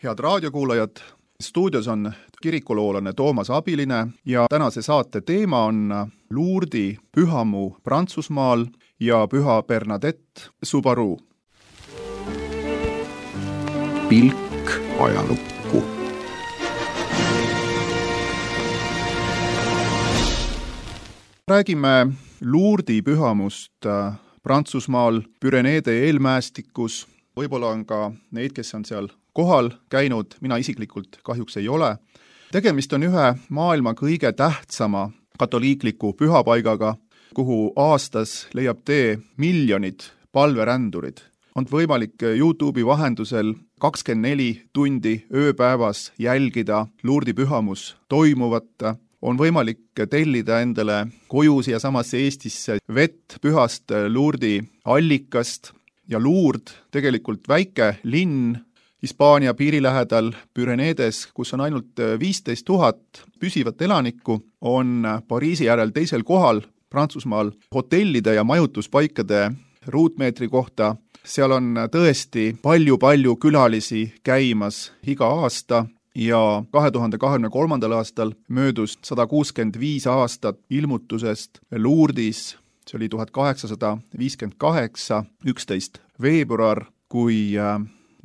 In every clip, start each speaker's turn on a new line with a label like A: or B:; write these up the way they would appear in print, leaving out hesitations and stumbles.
A: Head raadiokuulajad, stuudios on kirikuloolane Toomas Abiline ja tänase saate teema on Lourdi pühamuu Prantsusmaal ja püha Bernadette Soubirous.
B: Pilk ajalukku.
A: Räägime Lourdi pühamust Prantsusmaal, Püreneede eelmäestikus. Võib-olla on ka neid, kes on seal kohal käinud, mina isiklikult kahjuks ei ole. Tegemist on ühe maailma kõige tähtsama katoliikliku pühapaigaga, kuhu aastas leiab tee miljonid palverändurid. On võimalik YouTube'i vahendusel 24 tundi ööpäevas jälgida Lourdi pühamus toimuvat. On võimalik tellida endale koju siia samasse Eestisse vett pühast Lourdi allikast ja Lourdes, tegelikult väike linn Hispaania piiri lähedal Püreneedes, kus on ainult 15 000 püsivat elanikku, on Pariisi järel teisel kohal Prantsusmaal hotellide ja majutuspaikade ruutmeetri kohta. Seal on tõesti palju külalisi käimas iga aasta ja 2023. aastal möödus 165 aastat ilmutusest Lourdis. See oli 1858, 11. veebruar, kui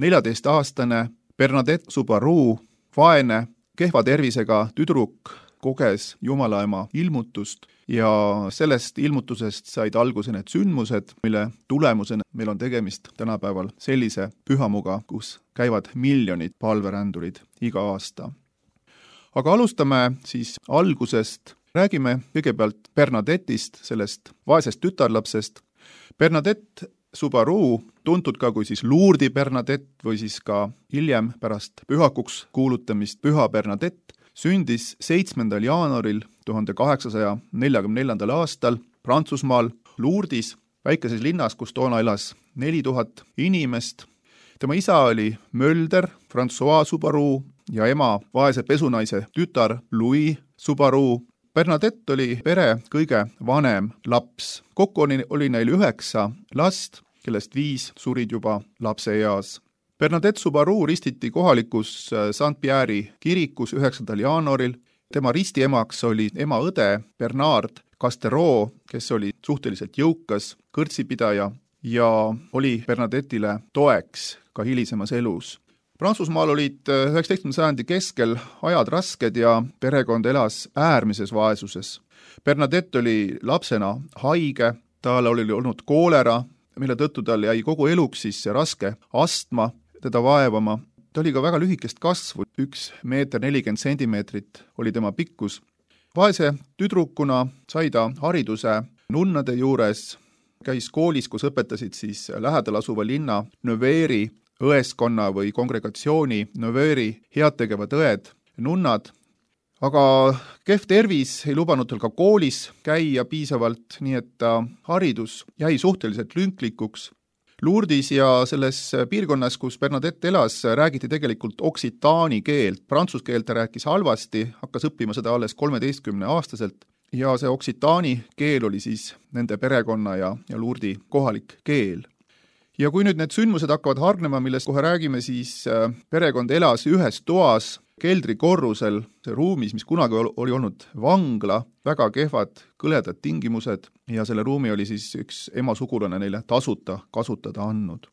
A: 14-aastane Bernadette Soubirous, vaene, kehva tervisega tüdruk, koges Jumalaema ilmutust ja sellest ilmutusest said alguse need sündmused, mille tulemusena meil on tegemist tänapäeval sellise pühamuga, kus käivad miljonid palverändurid iga aasta. Aga alustame siis algusest. Räägime kõigepealt Bernadette'ist, sellest vaesest tütarlapsest. Bernadette Soubirous, tuntud ka kui siis Lourdi Bernadette või siis ka hiljem pärast pühakuks kuulutamist püha Bernadette, sündis 7. jaanuaril 1844. aastal Prantsusmaal Lourdis, väikeses linnas, kus toona elas 4000 inimest. Tema isa oli mölder François Soubirous ja ema vaese pesunaise tütar Louis Soubirous. Bernadette oli pere kõige vanem laps. Kokku oli neil 9 last, kellest 5 surid juba lapseeas. Bernadette Soubirous ristiti kohalikus Saint-Pierre'i kirikus 9. jaanuaril. Tema ristiemaks oli ema õde Bernard Castereau, kes oli suhteliselt jõukas kõrtsipidaja ja oli Bernadette'ile toeks ka hilisemas elus. Prantsusmaal olid 19. sajandi keskel ajad rasked ja perekond elas äärmises vaesuses. Bernadette oli lapsena haige, tal oli olnud koolera, mille tõttu tal jäi kogu eluks siis raske astma teda vaevama. Ta oli ka väga lühikest kasvu, 1 meeter 40 sentimeetrit oli tema pikkus. Vaese tüdrukuna sai ta hariduse nunnade juures, käis koolis, kus õpetasid siis lähedal asuva linna Nevers õeskonna või kongregatsiooni Nevers headtegevad õed, nunnad, aga kehv tervis ei lubanud tal ka koolis käia piisavalt, nii et haridus jäi suhteliselt lünklikuks. Lourdis ja selles piirkonnas, kus Bernadette elas, räägiti tegelikult oksitaani keelt. Prantsuse keelt ta rääkis halvasti, hakkas õppima seda alles 13-aastaselt ja see oksitaani keel oli siis nende perekonna ja Lourdi kohalik keel. Ja kui nüüd need sündmused hakkavad hargnema, millest kohe räägime, siis perekond elas ühes toas, keldrikorrusel, see ruumis, mis kunagi oli olnud vangla, väga kehvad, kõledad tingimused ja selle ruumi oli siis üks ema sugulane neile tasuta kasutada andnud.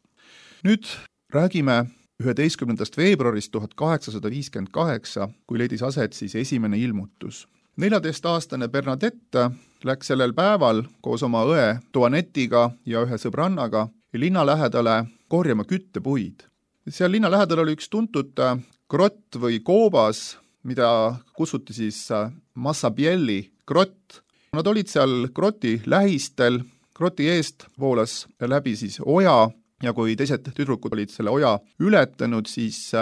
A: Nüüd räägime 11. veebruarist 1858, kui leidis aset siis esimene ilmutus. 14-aastane Bernadette läks sellel päeval koos oma õe Toinettiga ja ühe sõbrannaga linna lähedale korjama küttepuid. Seal linna lähedal oli üks tuntud grott või koobas, mida kutsuti siis Massabielli grott. Nad olid seal groti lähistel, groti eest voolas läbi siis oja ja kui teised tüdrukud olid selle oja ületanud, siis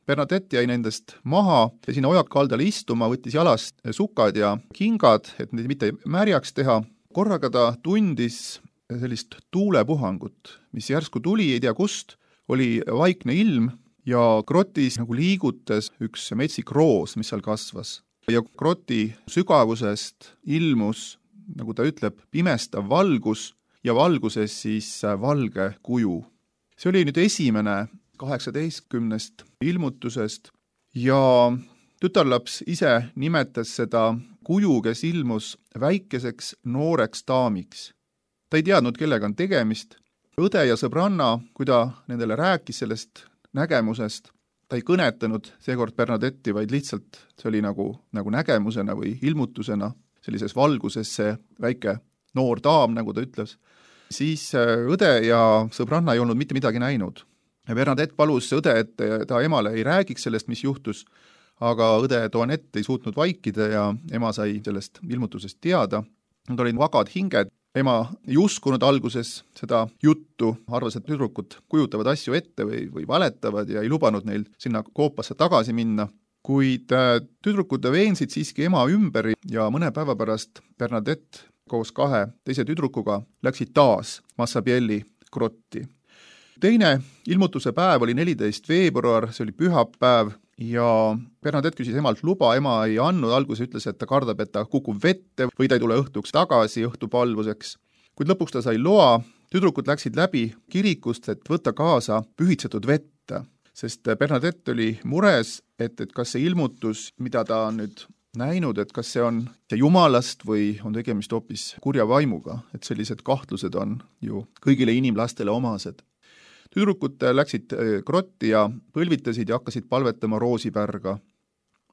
A: Bernadette jäi nendest maha ja sinna oja kaldale istuma, võttis jalast sukad ja kingad, et neid mitte märjaks teha. Korraga ta tundis sellist tuulepuhangut, mis järsku tuli, ei tea kust, oli vaikne ilm ja grotis nagu liigutas üks metsik roos, mis seal kasvas. Ja groti sügavusest ilmus, nagu ta ütleb, pimestav valgus ja valguses siis valge kuju. See oli nüüd esimene 18 ilmutusest ja tütarlaps ise nimetas seda kuju, kes ilmus väikeseks nooreks daamiks. Ta ei teadnud, kellega on tegemist. Õde ja sõbranna, kui ta nendele rääkis sellest nägemusest, ta ei kõnetanud seekord Bernadetti, vaid lihtsalt see oli nagu nägemusena või ilmutusena sellises valguses see väike noor daam, nagu ta ütles. Siis õde ja sõbranna ei olnud mitte midagi näinud. Bernadette palus õde, et ta emale ei räägiks sellest, mis juhtus, aga õde Toinette ei suutnud vaikida ja ema sai sellest ilmutusest teada. Nad olid vagad hinged. Ema ei uskunud alguses seda juttu, arvas, et tüdrukud kujutavad asju ette või valetavad ja ei lubanud neil sinna koopasse tagasi minna. Kuid tüdrukud veensid siiski ema ümber ja mõne päeva pärast Bernadette koos 2 teise tüdrukuga läksid taas Massabielli grotti. Teine ilmutuse päev oli 14. veebruar, see oli pühapäev ja Bernadette küsis emalt luba, ema ei andnud, alguses ütles, et ta kardab, et ta kukub vette või ta ei tule õhtuks tagasi õhtupalvuseks. Kuid lõpuks ta sai loa, tüdrukud läksid läbi kirikust, et võtta kaasa pühitsetud vette, sest Bernadette oli mures, et kas see ilmutus, mida ta on nüüd näinud, et kas see on jumalast või on tegemist hoopis kurja vaimuga, et sellised kahtlused on ju kõigile inimlastele omased. Tüdrukud läksid grotti ja põlvitasid ja hakkasid palvetama roosipärga.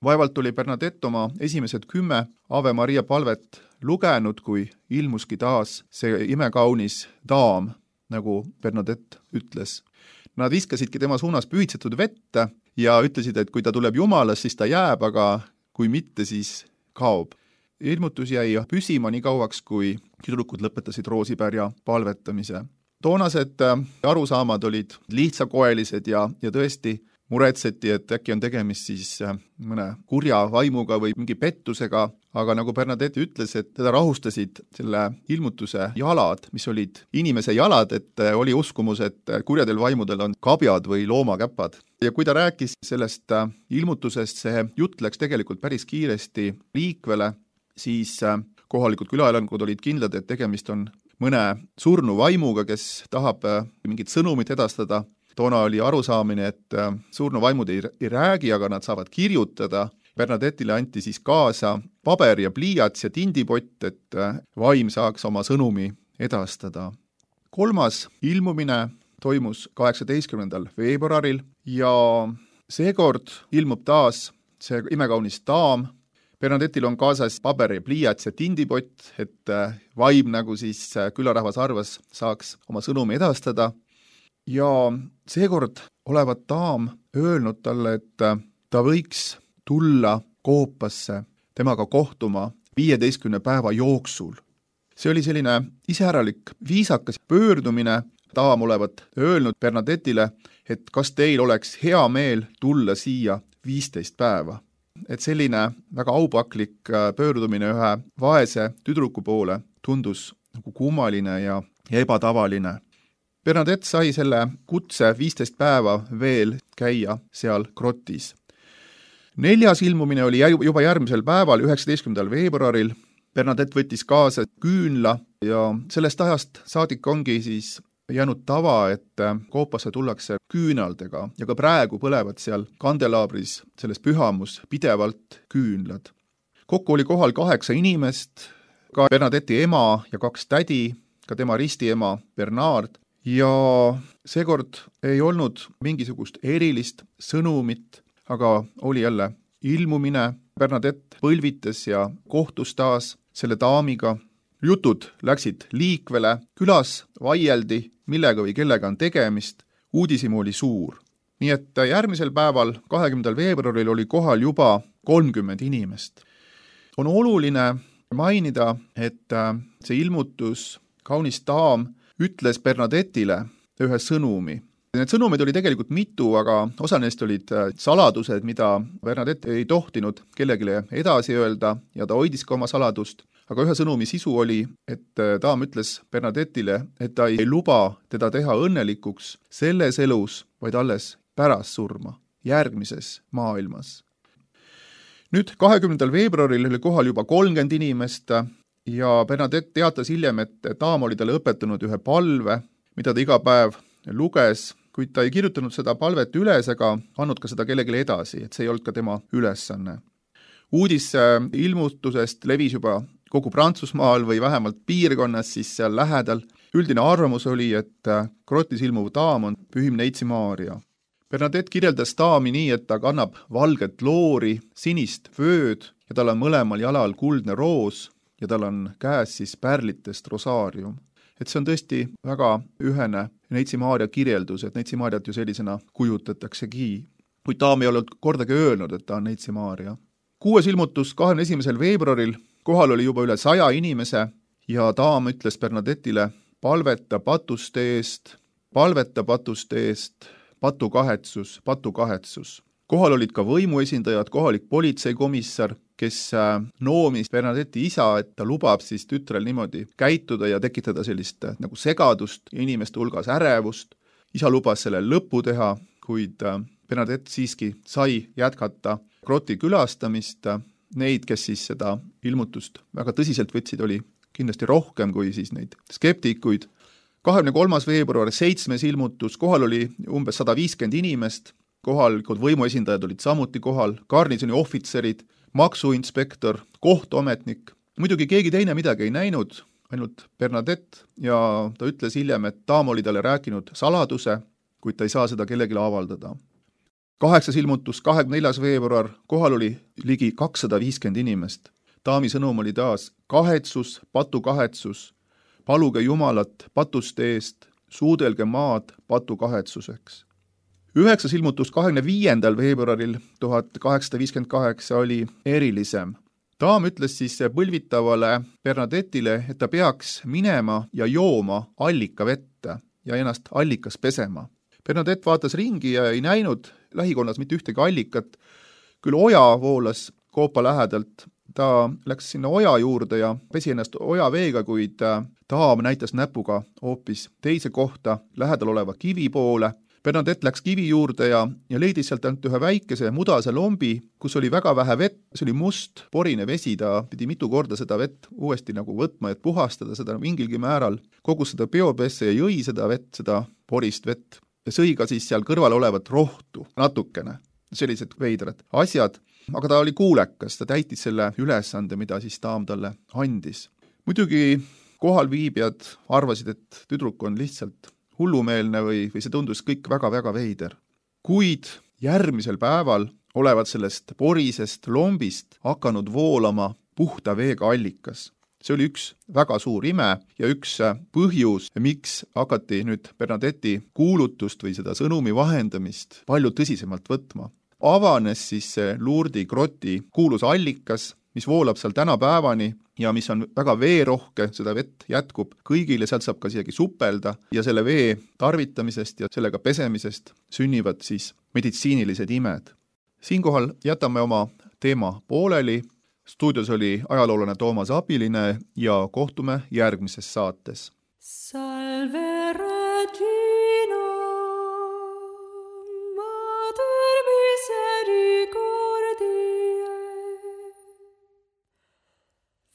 A: Vaevalt oli Bernadette oma esimesed 10 Ave Maria palvet lugenud, kui ilmuski taas see imekaunis daam, nagu Bernadette ütles. Nad viskasidki tema suunas pühitsetud vette ja ütlesid, et kui ta tuleb jumalast, siis ta jääb, aga kui mitte, siis kaob. Ilmutus jäi püsima nii kauaks, kui tüdrukud lõpetasid roosipärja palvetamise. Toonased arusaamad olid lihtsakoelised ja tõesti muretseti, et äkki on tegemist siis mõne kurja vaimuga või mingi pettusega, aga nagu Bernadette ütles, et teda rahustasid selle ilmutuse jalad, mis olid inimese jalad, et oli uskumus, et kurjadel vaimudel on kabjad või loomakäpad. Ja kui ta rääkis sellest ilmutusest, see jutt läks tegelikult päris kiiresti liikvele, siis kohalikud külaelanikud olid kindlad, et tegemist on mõne surnu vaimuga, kes tahab mingit sõnumit edastada. Toona oli arusaamine, et surnu vaimud ei räägi, aga nad saavad kirjutada. Bernadettile anti siis kaasa paber ja pliiats ja tindipott, et vaim saaks oma sõnumi edastada. 3. ilmumine toimus 18. veebruaril ja seekord ilmub taas see imekaunis daam. Bernadettil on kaasas paber ja pliiats ja tindipott, et vaim, nagu siis külarahvas arvas, saaks oma sõnumi edastada. Ja seekord olevat daam öelnud talle, et ta võiks tulla koopasse temaga kohtuma 15 päeva jooksul. See oli selline iseäralik viisakas pöördumine. Daam olevat öelnud Bernadettile, et kas teil oleks hea meel tulla siia 15 päeva. Et selline väga aupaklik pöördumine ühe vaese tüdruku poole tundus nagu kummaline ja ebatavaline. Bernadette sai selle kutse 15 päeva veel käia seal grotis. 4. ilmumine oli juba järgmisel päeval, 19. veebruaril. Bernadette võttis kaasa küünla ja sellest ajast saadik ongi siis jäänud tava, et koopasse tullakse küünaldega ja ka praegu põlevad seal kandelaabris selles pühamus pidevalt küünlad. Kokku oli kohal 8 inimest, ka Bernadetti ema ja 2 tädi, ka tema ristiema Bernard, ja seekord ei olnud mingisugust erilist sõnumit, aga oli jälle ilmumine. Bernadette põlvitas ja kohtus taas selle daamiga. Jutud läksid liikvele, külas vaieldi, millega või kellega on tegemist, uudishimu oli suur. Nii et järgmisel päeval, 20. veebruaril oli kohal juba 30 inimest. On oluline mainida, et see ilmutus, kaunis daam, ütles Bernadettile ühe sõnumi. Need sõnumid oli tegelikult mitu, aga osa neist olid saladused, mida Bernadette ei tohtinud kellelegi edasi öelda ja ta hoidis ka oma saladust. Aga ühe sõnumi sisu oli, et daam ütles Bernadettile, et ta ei luba teda teha õnnelikuks selles elus, vaid alles pärast surma, järgmises maailmas. Nüüd 20. veebruaril oli kohal juba 30 inimest ja Bernadette teatas hiljem, et daam oli talle õpetanud ühe palve, mida ta iga päev luges, kuid ta ei kirjutanud seda palvet üles ega andnud ka seda kellelegi edasi, et see ei olnud ka tema ülesanne. Uudis ilmutusest levis juba kogu Prantsusmaal või vähemalt piirkonnas siis seal lähedal. Üldine arvamus oli, et grotis ilmuv daam on Pühim Neitsi Maarja. Bernadette kirjeldas daami nii, et ta kannab valget loori, sinist vööd ja tal on mõlemal jalal kuldne roos ja tal on käes siis pärlitest rosaarium. Et see on tõesti väga ühene Neitsi Maarja kirjeldus, et Neitsi Maarjat ju sellisena kujutataksegi. Kuid daam ei olnud kordagi öelnud, et ta on Neitsi Maarja. 6. ilmutus 21. veebruaril, kohal oli juba üle 100 inimese ja daam ütles Bernadette'ile, palveta patuste eest, patukahetsus. Kohal olid ka võimuesindajad, kohalik politseikomissar, kes noomis Bernadette'i isa, et ta lubab siis tütrel niimoodi käituda ja tekitada sellist nagu segadust inimeste hulgas ärevust. Isa lubas selle lõpu teha, kuid Bernadette siiski sai jätkata groti külastamist. Neid, kes siis seda ilmutust väga tõsiselt võtsid, oli kindlasti rohkem kui siis neid skeptikuid. 23. veebruar, 7. ilmutus, kohal oli umbes 150 inimest, kohalikud võimuesindajad olid samuti kohal, garnisoni ohvitserid, maksuinspektor, kohtuametnik. Muidugi keegi teine midagi ei näinud, ainult Bernadette, ja ta ütles hiljem, et daam oli talle rääkinud saladuse, kuid ta ei saa seda kellelegi avaldada. 8. ilmutus, 24. veebruar, kohal oli ligi 250 inimest. Daami sõnum oli taas patukahetsus, paluge Jumalat patuste eest, suudelge maad patukahetsuseks. 9. ilmutus 25. veebruaril 1858 oli erilisem. Daam ütles siis põlvitavale Bernadette'ile, et ta peaks minema ja jooma allikavette ja ennast allikas pesema. Bernadette vaatas ringi ja ei näinud lähikonnas mitte ühtegi allikat, küll oja voolas koopa lähedalt. Ta läks sinna oja juurde ja pesi ennast ojaveega, kuid daam näitas näpuga hoopis teise kohta lähedal oleva kivi poole. Bernadette läks kivi juurde ja leidis sealt ainult ühe väikese mudase lombi, kus oli väga vähe vett, see oli must, porine vesi, ta pidi mitu korda seda vett uuesti nagu võtma, et puhastada seda mingilgi määral. Kogus seda peopesse ja jõi seda vett, seda porist vett ja sõi ka siis seal kõrval olevat rohtu natukene, sellised veidrad asjad. Aga ta oli kuulekas, ta täitis selle ülesande, mida siis daam talle andis. Muidugi kohalviibijad arvasid, et tüdruk on lihtsalt hullumeelne või see tundus kõik väga-väga veider. Kuid järgmisel päeval olevat sellest porisest lombist hakanud voolama puhta veega allikas. See oli üks väga suur ime ja üks põhjus, miks hakati nüüd Bernadette'i kuulutust või seda sõnumi vahendamist palju tõsisemalt võtma. Avanes siis Lourdesi groti kuulus allikas, mis voolab seal tänapäevani ja mis on väga veerohke, seda vett jätkub kõigile, sealt saab ka isegi supelda ja selle vee tarvitamisest ja sellega pesemisest sünnivad siis meditsiinilised imed. Siinkohal jätame oma teema pooleli. Stuudios oli ajaloolane Toomas Abiline ja kohtume järgmises saates. Salve Regina, Mater misericordiae,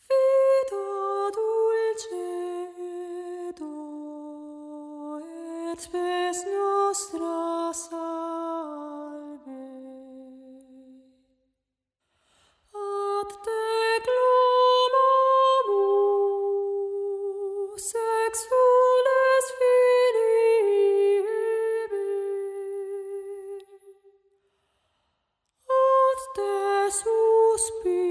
A: Vita dulcedo et spes nostra salve. Ad te clamamus exules filii ebi, ad te suspiramos.